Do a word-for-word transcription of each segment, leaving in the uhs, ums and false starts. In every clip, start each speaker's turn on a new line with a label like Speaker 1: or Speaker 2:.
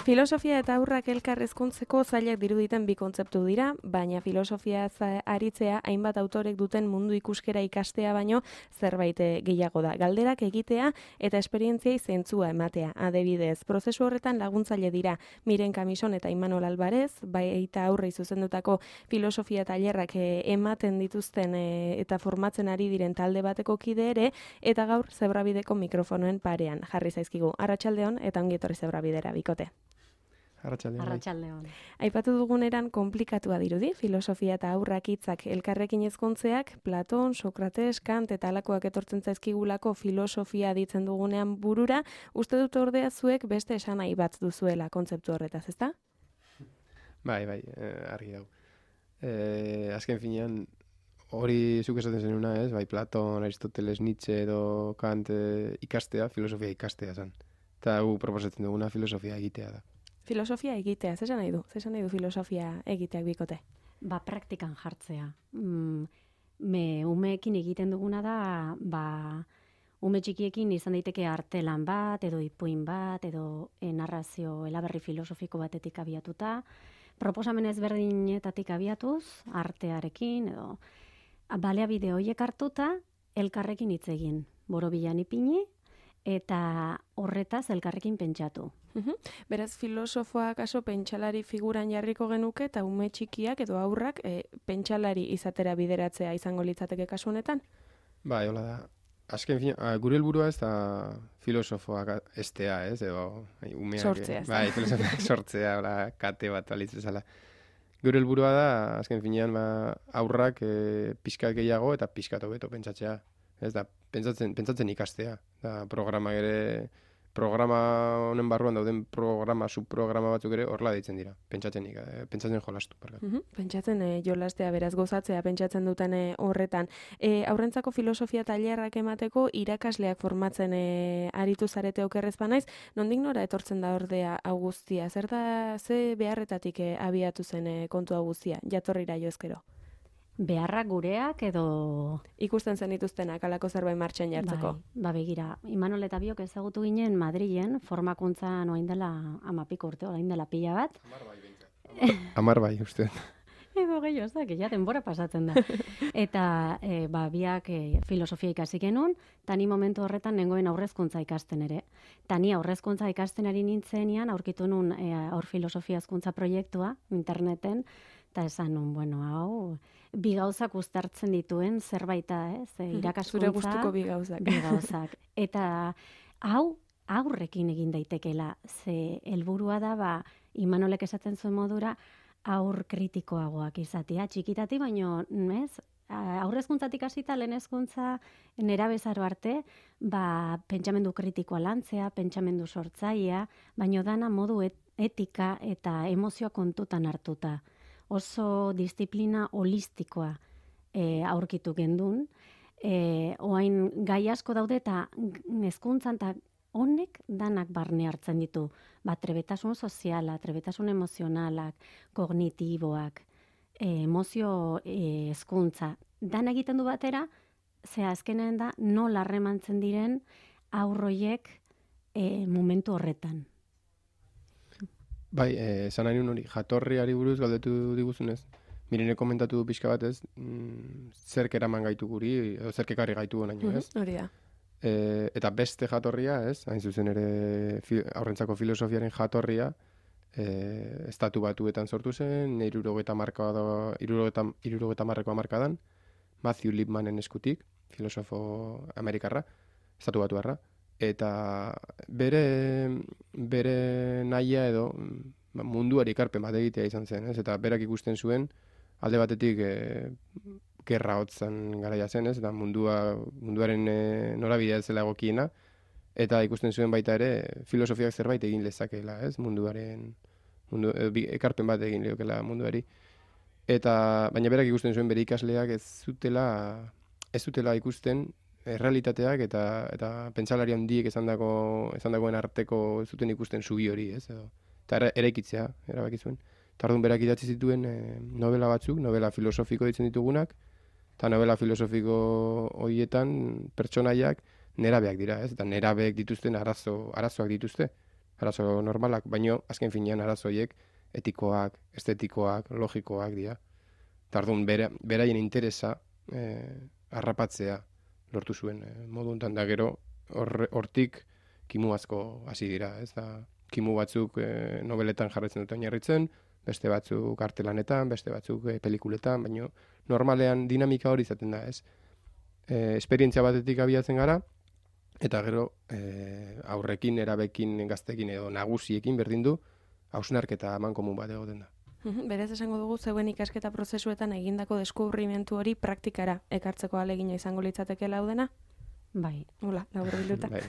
Speaker 1: Filosofia eta haurrak elkar hezkuntzeko zailak diruditen bi kontzeptu dira, baina filosofia aritzea hainbat autorek duten mundu ikuskera ikastea baino zerbait gehiago da. Galderak egitea eta esperientziai zentzua ematea. Adibidez, prozesu horretan laguntzaile dira Miren Kamison eta Imanol Alvarez, baita aurrei zuzendutako filosofia tailerrak ematen dituzten eta formatzen ari diren talde bateko kide ere, eta gaur Zebrabideko mikrofonoen parean jarri zaizkigu. Arratsaldeon eta ongi etorri Zebrabidera bikote.
Speaker 2: Arratsaldeon.
Speaker 3: Arratsaldeon.
Speaker 1: Aipatu duguneran konplikatua dirudi, filosofia eta haurrak hitzak elkarrekin ezkontzeak, Platon, Sokrates, Kant eta halakoak etortzen zaizkigulako filosofia ditzen dugunean burura, uste dut ordea zuek beste esanahi bat duzuela kontzeptu horretaz, ezta?
Speaker 2: Bai, bai, eh, argi dago. Eh, azken finean, hori zuk esaten zenuna, ez? Bai, Platon, Aristoteles, Nietzsche edo Kant eh, ikastea, filosofia ikastea zen. Eta gu proposatzen duguna filosofia egitea da.
Speaker 1: Filosofia egitea, zesan nahi du? Zesan nahi du filosofia egiteak bikote?
Speaker 3: Ba, praktikan jartzea. Mm, me umeekin egiten duguna da, ba, ume txikiekin izan daiteke artelan bat, edo ipuin bat, edo narrazio elaberri filosofiko batetik abiatuta, proposamen ezberdinetatik abiatuz, artearekin, edo baliabide horiek hartuta, elkarrekin hitz egin, borobilan ipini, eta horretaz elkarrekin pentsatu.
Speaker 1: Uhum. Beraz, filosofoak aso pentsalari figuran jarriko genuke eta ume txikiak edo haurrak e, pentsalari izatera bideratzea izango litzateke kasu honetan?
Speaker 2: Bai, hola da. Azken fin, gure helburua ez da filosofoak estea, ez? Edo, umeak,
Speaker 1: sortzea.
Speaker 2: Bai, filosofoak sortzea, hola, kate bat alitz bezala. Gure helburua da, azken finean, ba, haurrak e, pixkat gehiago eta pixkat hobeto pentsatzea. Ez da, pentsatzen, pentsatzen ikastea. Da, programa ere... Programa honen barruan dauden programa, subprograma batzuk ere horrela deitzen dira. Pentsatzen, eh, pentsatzen jolastu.
Speaker 1: Uh-huh. Pentsatzen eh, jolastea, beraz gozatzea, pentsatzen duten eh, horretan. E, aurrentzako filosofia tailerrak emateko irakasleak formatzen eh, aritu zarete okerrez banaiz, nondik nora etortzen da ordea hau guztia? Zer da, ze beharretatik eh, abiatu zen eh, kontu hau guztia, jatorrira jo ezkero?
Speaker 3: Beharrak gureak edo...
Speaker 1: Ikusten zen dituztenak, alako zerbait martxan jartzeko.
Speaker 3: Bai, ba begira, Imanol eta biok ezagutu ginen Madrilen, formakuntza noain dela amapiko urte, orain dela pila bat.
Speaker 2: Amar bai, bintzat. Amar bai, uste.
Speaker 3: Ego gehiago, ez da, ja denbora pasatzen da. Eta e, ba, biak e, filosofia ikasi genuen, eta ni momentu horretan nengoen aurrezkuntza ikasten ere. Eta ni aurrezkuntza ikasten ari nintzenean, aurkitu nun e, aur filosofia hezkuntza proiektua interneten, eta esan nun, bueno, hau, bi gauzak uztartzen dituen zerbaita, ez? E, irakaskuntza.
Speaker 1: Zure gustuko bi gauzak.
Speaker 3: Bi gauzak. Eta hau aurrekin egin daitekeela, ze helburua da, ba, Imanolek esaten zuen modura, aur kritikoagoak izatea, txikitati, baino, ez? Aurrezkuntzatik hasita lehen hezkuntza nerabezaro arte, ba, pentsamendu kritikoa lantzea, pentsamendu sortzailea, baino dana modu et, etika eta emozioa kontutan hartuta. Oso disiplina holistikoa e, aurkitu gendun. E, oain gai asko daude eta hezkuntzan eta honek danak barne hartzen ditu. Ba, trebetasun soziala, trebetasun emozionalak, kognitiboak, e, emozio e, hezkuntza. Dan egiten du batera, ze azkenen da nola harremantzen diren aurroiek e, momentu horretan.
Speaker 2: Bai, esan nahi hori, jatorriari buruz galdetu diguzunez. Mirene komentatu du pixka batez, mm, zerk eraman gaitu guri, edo zerk ekarri gaitu honaino, ez?
Speaker 1: Hori da.
Speaker 2: E, eta beste jatorria, ez? Hain zuzen ere fi, aurrentzako filosofiaren jatorria, e, estatu batuetan sortu zen, hirurogeta marreko hamarkadan, Matthew Lipmanen eskutik, filosofo amerikarra, estatu batuarra. Eta bere, bere nahia edo munduari ekarpen bat egitea izan zen, ez? Eta berak ikusten zuen, alde batetik e, gerra hotzan garaia zen, ez? Eta mundua, munduaren e, norabidea ez zela egokiena, eta ikusten zuen baita ere filosofiak zerbait egin lezakeela, ez? Munduaren, mundu, e, ekarpen bat egin leokela munduari. Eta, baina berak ikusten zuen bere ikasleak ez zutela, ez zutela ikusten errealitateak eta eta pentsalari handiek esandako esandakoen arteko ez zuten ikusten zubi hori, ez? Edo eta eraikitzea erabaki zuen. Eta orduan berak idatzi zituen e, novela batzuk, novela filosofiko ditzen ditugunak, eta novela filosofiko horietan pertsonaiak nerabeak dira, ez? Eta nerabeek dituzten arazo arazoak dituzte. arazo normalak, baino azken finean arazoiek etikoak, estetikoak, logikoak dira. Tardun, bera, beraien interesa eh, harrapatzea lortu zuen eh, modu honetan da gero, hortik kimu asko hasi dira, ez da, kimu batzuk eh, nobeletan jarretzen duten oinarritzen, beste batzuk artelanetan, beste batzuk eh, pelikuletan, baino normalean dinamika hori izaten da, ez? Eh, esperientzia batetik abiatzen gara, eta gero eh, aurrekin, erabekin, gaztekin edo nagusiekin berdin du, hausnarketa eman komun bat egoten da.
Speaker 1: Berez esango dugu zeuen ikasketa prozesuetan egindako deskubrimentu hori praktikara ekartzeko ahalegina izango litzateke laudena?
Speaker 3: Bai.
Speaker 1: Hola, labur bilduta.
Speaker 2: Bai.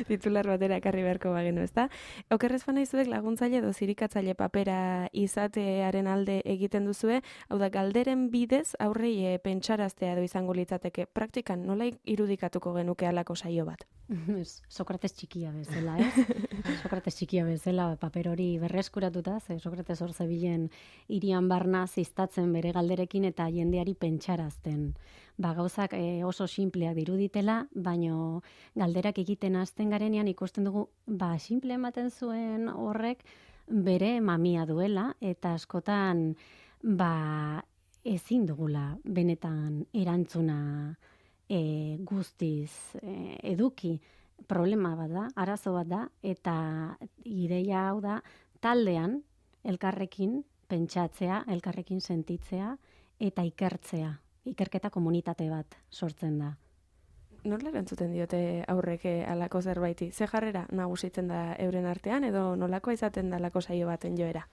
Speaker 1: Titular batera ekarri beharko bagenu, ezta? Okerrez bana izuek laguntzaile edo zirikatzaile papera izatearen alde egiten duzue, hau da, galderen bidez aurrei e, pentsaraztea edo izango litzateke. Praktikan, nola irudikatuko genuke halako saio bat?
Speaker 3: Sokrates txikia bezala, ez? Sokrates txikia bezala paper hori berreskuratuta, ze Sokrates hor zebilen hirian barna ziztatzen bere galderekin eta jendeari pentsarazten. Ba, gauzak e, oso sinpleak diruditela, baino galderak egiten hasten garenean ikusten dugu, ba, simple ematen zuen horrek bere mamia duela, eta askotan, ba, ezin dugula benetan erantzuna e, guztiz e, eduki. Problema bat da, arazo bat da, eta ideia hau da, taldean, elkarrekin pentsatzea, elkarrekin sentitzea, eta ikertzea. Ikerketa komunitate bat sortzen da.
Speaker 1: Nola erantzuten diote aurrek halako zerbaiti? Ze jarrera nagusitzen da euren artean edo nolakoa izaten da halako saio baten joera?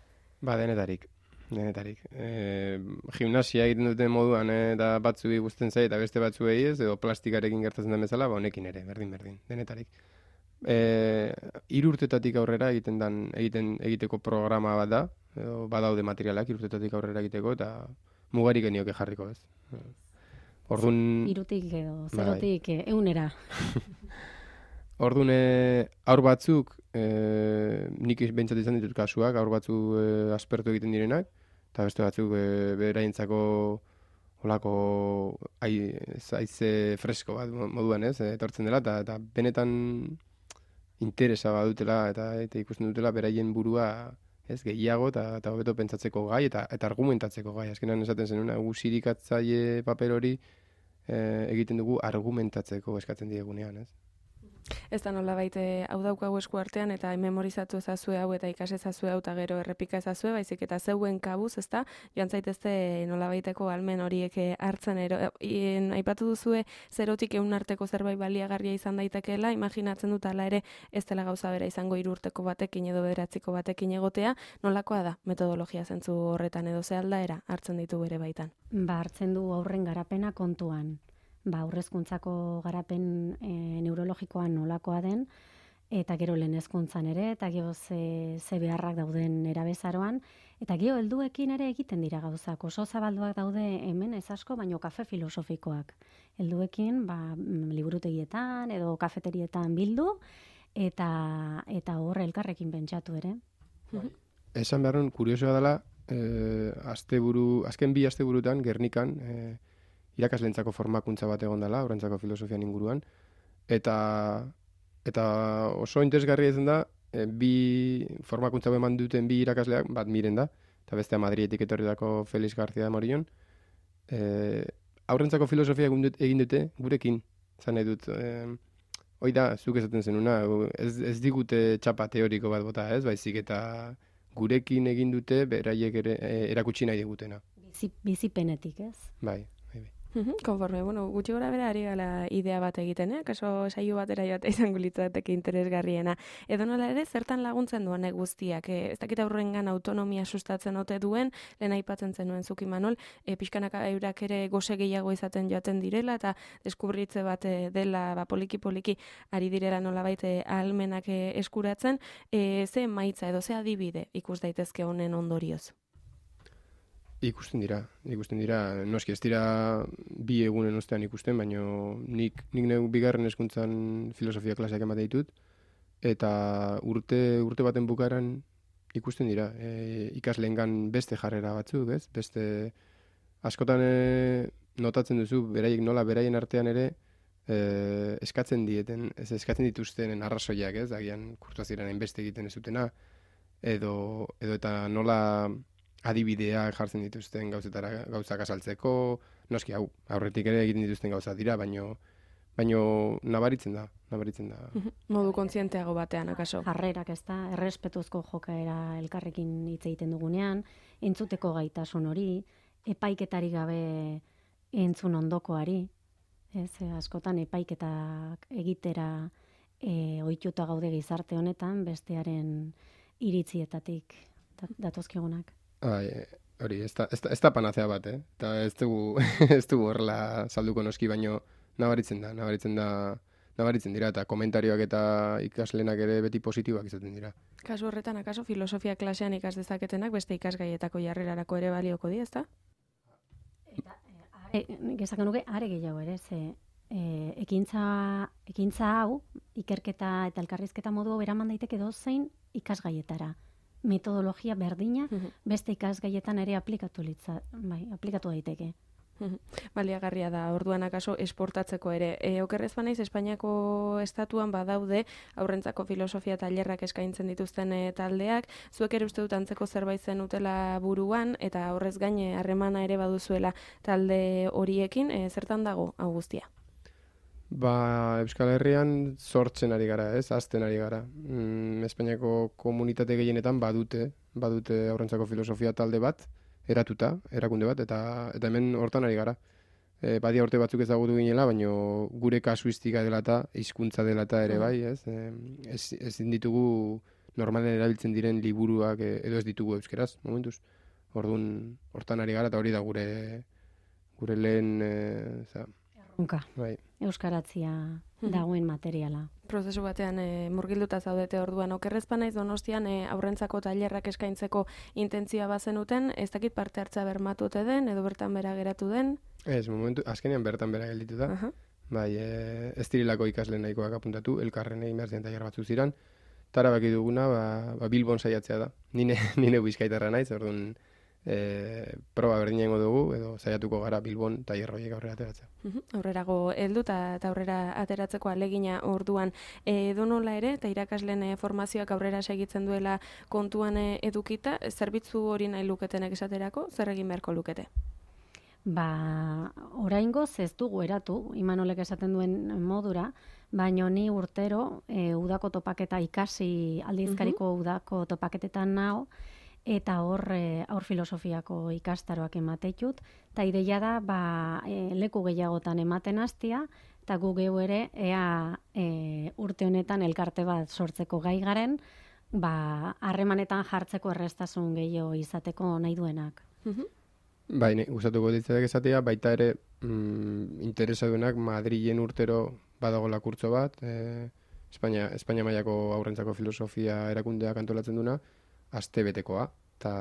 Speaker 2: Ba, denetarik. Denetarik. E, gimnasia egiten duten moduan e, eta batzuei gusten zait eta beste batzuei ez, edo plastikarekin gertatzen den bezala, ba honekin ere, berdin berdin, denetarik. Eh, hiru urtetatik aurrera egiten dan egiten egiteko programa bat da, edo badaude materialak hiru urtetatik aurrera egiteko eta mugarik genioke jarriko, ez. Ordun
Speaker 3: hirutik edo zerotik bai. Eunera.
Speaker 2: Ordun e, aur batzuk e, nik behintzat izan ditut kasuak, aur batzuk e, aspertu egiten direnak, eta beste batzuk e, beraientzako holako aize fresko bat moduan, ez, etortzen dela, eta, eta benetan interesa badutela eta, eta ikusten dutela beraien burua ez gehiago eta eta hobeto pentsatzeko gai eta eta argumentatzeko gai. Azkenan esaten zenuna gu sirikatzaile paper hori e, egiten dugu argumentatzeko eskatzen diegunean, ez?
Speaker 1: Ez da nola baite hau daukagu esku artean eta memorizatu ezazue hau eta ikas ezazue hau eta gero errepika ezazue, baizik eta zeuen kabuz, ezta? Joan zaitezte nola baiteko almen horiek hartzen ero. Ien, aipatu duzue zerotik ehun arteko zerbait baliagarria izan daitekeela, imaginatzen dut ala ere ez dela gauza bera izango hiru urteko batekin edo bederatziko batekin egotea, nolakoa da metodologia zentzu horretan edo ze aldaera hartzen ditu bere baitan?
Speaker 3: Ba, hartzen du aurren garapena kontuan. Ba, aurrezkuntzako garapen e, neurologikoan nolakoa den, eta gero lehen hezkuntzan ere, eta gero ze, ze beharrak dauden erabezaroan, eta gero helduekin ere egiten dira gauzak. Oso zabalduak daude hemen ez asko, baino kafe filosofikoak. Helduekin, ba, liburutegietan edo kafeterietan bildu, eta eta hor elkarrekin pentsatu ere.
Speaker 2: Esan beharren, kuriosoa dela, eh, asteburu, azken bi asteburutan, Gernikan, eh, irakaslentzako formakuntza bat egon dela, horrentzako filosofian inguruan, eta eta oso interesgarria izan da, e, bi formakuntza eman duten bi irakasleak, bat miren da, eta bestea Madridetik etorritako Felix García de Morillon, e, aurrentzako filosofia egin dute gurekin, zan nahi dut, e, hoi da, zuk esaten zenuna, ez, ez digute txapa teoriko bat bota, ez, baizik eta gurekin egin dute, beraiek ere e, erakutsi nahi digutena.
Speaker 3: Bizi, bizipenetik, ez?
Speaker 2: Bai.
Speaker 1: Konforme, bueno, gutxi gora bera ari gala idea bat egiten, eh? Kaso saio batera joate izango litzateke interesgarriena. Edo nola ere, zertan laguntzen duen guztiak? Eh? Ez dakit aurrengan autonomia sustatzen ote duen, lehen aipatzen zenuen Zuki Manol, eh, pixkanaka eurak ere goze gehiago izaten joaten direla, eta deskubritze bat dela ba, poliki-poliki ari direla nola baite ahalmenak eskuratzen, eh, ze maitza edo ze adibide ikus daitezke honen ondorioz?
Speaker 2: Ikusten dira, ikusten dira, noski ez dira bi egunen ostean ikusten, baina nik, nik neu bigarren hezkuntzan filosofia klaseak ematen ditut, eta urte, urte baten bukaeran ikusten dira, e, ikasleengan beste jarrera batzuk, ez? Beste, askotan e, notatzen duzu, beraiek nola beraien artean ere, e, eskatzen dieten, ez eskatzen dituztenen arrazoiak, ez, agian kurtuaziran hainbeste egiten ez dutena, edo, edo eta nola adibideak jartzen dituzten gauzetara, gauzak azaltzeko, noski hau, aurretik ere egiten dituzten gauza dira, baino, baino nabaritzen da, nabaritzen da.
Speaker 1: Modu kontzienteago batean, akaso.
Speaker 3: Jarrerak, ez da, errespetuzko jokaera elkarrekin hitz egiten dugunean, entzuteko gaitasun hori, epaiketari gabe entzun ondokoari, ez, askotan epaiketak egitera e, ohituta gaude gizarte honetan, bestearen iritzietatik datozkigunak.
Speaker 2: Ai, hori, ez da, ez da, ez da panazea bat, eh? Eta ez dugu, ez dugu horrela salduko noski, baino nabaritzen da, nabaritzen da, nabaritzen dira, eta komentarioak eta ikaslenak ere beti positiboak izaten dira.
Speaker 1: Kasu horretan, akaso, filosofia klasean ikas dezaketenak beste ikasgaietako jarrerarako ere balioko di, ezta?
Speaker 3: Eta, e, gezak nuke, are gehiago ere, ze e, ekintza, ekintza hau, ikerketa eta elkarrizketa modu beraman daiteke dozein ikasgaietara. Metodologia berdina, beste ikasgaietan ere aplikatu litza, bai, aplikatu daiteke.
Speaker 1: Baliagarria da, orduan akaso esportatzeko ere. E, okerrez banaiz, Espainiako estatuan badaude aurrentzako filosofia tailerrak eskaintzen dituzten e, taldeak, zuek ere uste dut antzeko zerbait zenutela buruan, eta horrez gaine harremana ere baduzuela talde horiekin, e, zertan dago hau guztia?
Speaker 2: Ba, Euskal Herrian sortzen ari gara, ez, azten ari gara. Mm, Espainiako komunitate gehienetan badute, badute aurrentzako filosofia talde bat, eratuta, erakunde bat, eta eta hemen hortan ari gara. E, badia urte batzuk ezagutu ginela, baino gure kasuistika dela eta hizkuntza dela eta ere bai, ez? E, ez, ezin ditugu normalen erabiltzen diren liburuak e, edo ez ditugu euskeraz, momentuz. Orduan hortan ari gara, eta hori da gure gure lehen e, za,
Speaker 3: Erronka,
Speaker 2: bai.
Speaker 3: euskaratzia dagoen materiala.
Speaker 1: Prozesu batean e, murgilduta zaudete orduan. Okerrez banaiz Donostian e, aurrentzako tailerrak eskaintzeko intentzioa bazenuten, ez dakit parte hartza bermatute den, edo bertan bera geratu den?
Speaker 2: Ez, momentu, azkenean bertan bera gelditu da.
Speaker 1: Uh-huh.
Speaker 2: Bai, e, ez dirilako ikasle nahikoak apuntatu, elkarren egin behar ziren tailer batzu ziren. Tara baki duguna, ba, ba Bilbon saiatzea da. Nine, nine bizkaitarra naiz, orduan e, proba berdina ingo dugu, edo saiatuko gara Bilbon tailer horiek aurrera ateratzea.
Speaker 1: Uh-huh. Aurrerago heldu eta aurrera ateratzeko alegina orduan. E, donola ere, eta irakasleen e, formazioak aurrera segitzen duela kontuan e, edukita, zerbitzu hori nahi luketenek esaterako, zer egin beharko lukete?
Speaker 3: Ba, oraingoz ez dugu eratu, Imanolek esaten duen modura, baino ni urtero e, udako topaketa ikasi aldizkariko uh-huh. udako topaketetan nao, eta hor e, aur filosofiako ikastaroak emateitut, eta ideia da ba, e, leku gehiagotan ematen hastia, eta gu geu ere ea e, urte honetan elkarte bat sortzeko gai garen, ba, harremanetan jartzeko errestasun gehiago izateko nahi duenak.
Speaker 1: Uh-huh.
Speaker 2: Bai, gustatuko ditzatek esatea, baita ere mm, interesadunak Madrilen urtero badagola kurtso bat, e, Espainia, Espainia mailako aurrentzako filosofia erakundeak antolatzen duna, aste betekoa, eta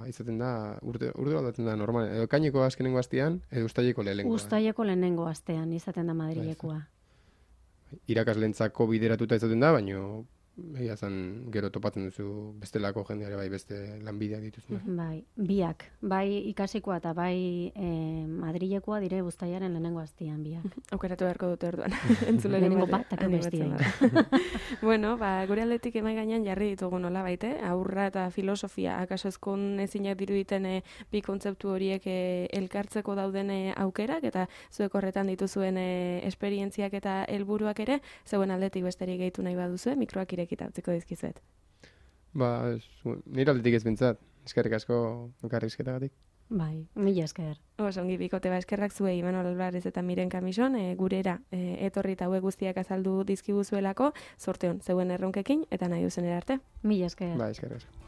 Speaker 2: izaten da, urte, urte aldatzen da normal, edo kaineko azkenengo astean, edo ustaileko lehenengoa.
Speaker 3: Ustaileko lehenengo astean izaten da Madrilekoa.
Speaker 2: Irakaslentzako bideratuta izaten da, baino egia zan gero topatzen duzu bestelako jendeare bai beste lanbideak dituzuna.
Speaker 3: Bai, biak, bai ikasikoa eta bai e, Madrilekoa dire uztailaren lehenengo astean biak.
Speaker 1: Aukeratu beharko dute orduan. Entzuleren
Speaker 3: lehenengo bat, eta bestia.
Speaker 1: Bueno, ba, gure aldetik emai gainean jarri ditugu nola baite, aurra eta filosofia, akaso ezkon ezinak diruditen e, bi kontzeptu horiek e, elkartzeko dauden e, aukerak, eta zuek horretan dituzuen e, esperientziak eta helburuak ere, zeuen aldetik besterik gehitu nahi baduzue, mikroak irekita utziko dizkizuet.
Speaker 2: Ba, nire aldetik ez bintzat, eskerrik asko elkarrizketagatik.
Speaker 3: Bai, mila esker.
Speaker 1: Oso ongi bikote ba eskerrak zuei Imanol Alvarez eta Miren Kamison, e, gurera e, etorri eta hauek guztiak azaldu dizkiguzuelako, zorte on zeuen erronkekin eta nahi duzen arte.
Speaker 3: Mila esker.
Speaker 2: Ba, eskerrik asko.